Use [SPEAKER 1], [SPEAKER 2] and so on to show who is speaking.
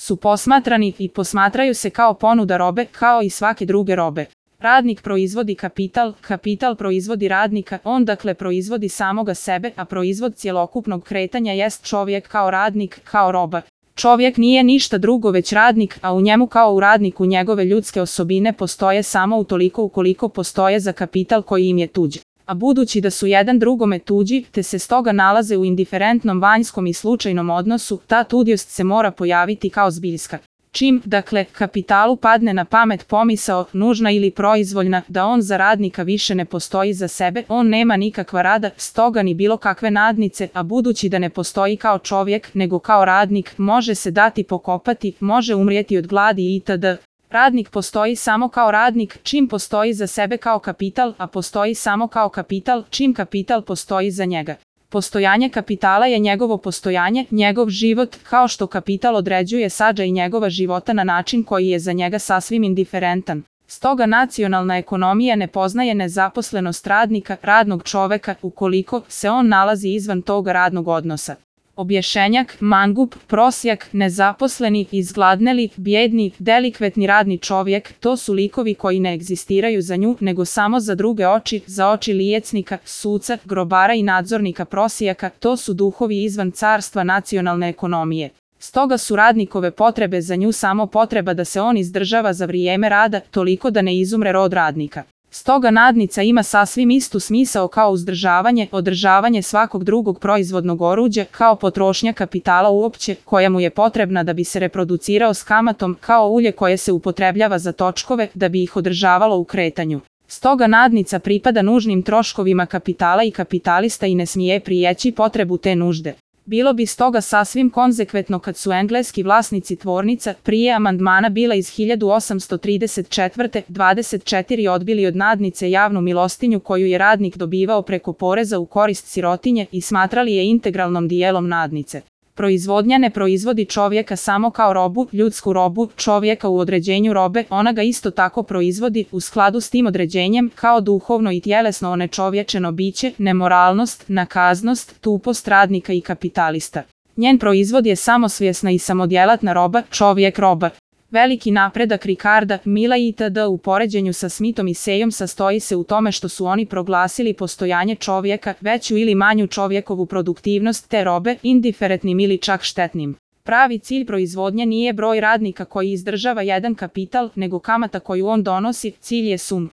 [SPEAKER 1] su posmatrani i posmatraju se kao ponuda robe, kao i svake druge robe. Radnik proizvodi kapital, kapital proizvodi radnika, on dakle proizvodi samoga sebe, a proizvod cjelokupnog kretanja jest čovjek kao radnik, kao roba. Čovjek nije ništa drugo već radnik, a u njemu kao u radniku njegove ljudske osobine postoje samo utoliko ukoliko postoje za kapital koji im je tuđ. A budući da su jedan drugome tuđi, te se stoga nalaze u indiferentnom vanjskom i slučajnom odnosu, ta tuđost se mora pojaviti kao zbiljska. Čim, dakle, kapitalu padne na pamet pomisao, nužna ili proizvoljna, da on za radnika više ne postoji za sebe, on nema nikakva rada, stoga ni bilo kakve nadnice, a budući da ne postoji kao čovjek, nego kao radnik, može se dati pokopati, može umrijeti od gladi itd. Radnik postoji samo kao radnik, čim postoji za sebe kao kapital, a postoji samo kao kapital, čim kapital postoji za njega. Postojanje kapitala je njegovo postojanje, njegov život, kao što kapital određuje sadržaj njegova života na način koji je za njega sasvim indiferentan. Stoga nacionalna ekonomija ne poznaje nezaposlenost radnika, radnog čoveka, ukoliko se on nalazi izvan toga radnog odnosa. Objašnjenjak, mangup, prosjak, nezaposleni, izgladneli, bijedni, delikvetni radni čovjek, to su likovi koji ne egzistiraju za nju, nego samo za druge oči, za oči liječnika, suca, grobara i nadzornika prosjaka, to su duhovi izvan carstva nacionalne ekonomije. Stoga su radnikove potrebe za nju samo potreba da se on izdržava za vrijeme rada, toliko da ne izumre rod radnika. Stoga nadnica ima sasvim istu smisao kao uzdržavanje, održavanje svakog drugog proizvodnog oruđa, kao potrošnja kapitala uopće, koja mu je potrebna da bi se reproducirao s kamatom, kao ulje koje se upotrebljava za točkove, da bi ih održavalo u kretanju. Stoga nadnica pripada nužnim troškovima kapitala i kapitalista i ne smije prijeći potrebu te nužde. Bilo bi stoga sasvim konzekventno kad su engleski vlasnici tvornica prije amandmana bila iz 1834. 24 odbili od nadnice javnu milostinju koju je radnik dobivao preko poreza u korist sirotinje i smatrali je integralnom dijelom nadnice. Proizvodnja ne proizvodi čovjeka samo kao robu, ljudsku robu, čovjeka u određenju robe, ona ga isto tako proizvodi u skladu s tim određenjem kao duhovno i tjelesno onečovječeno biće, nemoralnost, nakaznost, tupost radnika i kapitalista. Njen proizvod je samosvjesna i samodjelatna roba, čovjek roba. Veliki napredak Ricarda, Milla itd. U poređenju sa Smithom i Sayom sastoji se u tome što su oni proglasili postojanje čovjeka, veću ili manju čovjekovu produktivnost te robe, indiferentnim ili čak štetnim. Pravi cilj proizvodnje nije broj radnika koji izdržava jedan kapital, nego kamata koju on donosi, cilj je sum.